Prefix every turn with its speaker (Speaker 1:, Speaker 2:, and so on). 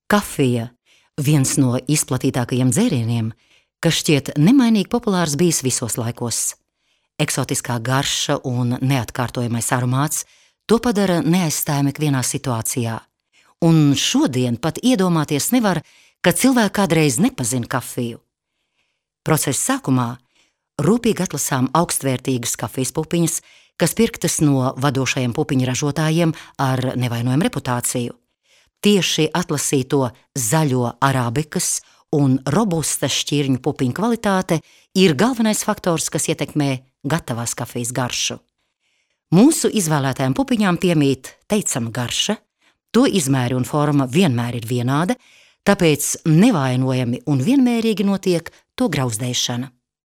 Speaker 1: Kafija – viens no izplatītākajiem dzērieniem, kas šķiet nemainīgi populārs bijis visos laikos. Eksotiskā garša un neatkārtojamais aromāts to padara neaizstājami ikvienā situācijā. Un šodien pat iedomāties nevar, ka cilvēki kādreiz nepazina kafiju. Procesa sākumā rūpīgi atlasām augstvērtīgas kafijas pupiņas, kas pirktas no vadošajiem pupiņu ražotājiem ar nevainojamu reputāciju. Tieši atlasīto zaļo arabikas un robustas šķirņu pupiņu kvalitāte ir galvenais faktors, kas ietekmē gatavās kafijas garšu. Mūsu izvēlētajām pupiņām piemīt teicama garša, to izmēri un forma vienmēr ir vienāda, tāpēc nevainojami un vienmērīgi notiek to grauzdēšana.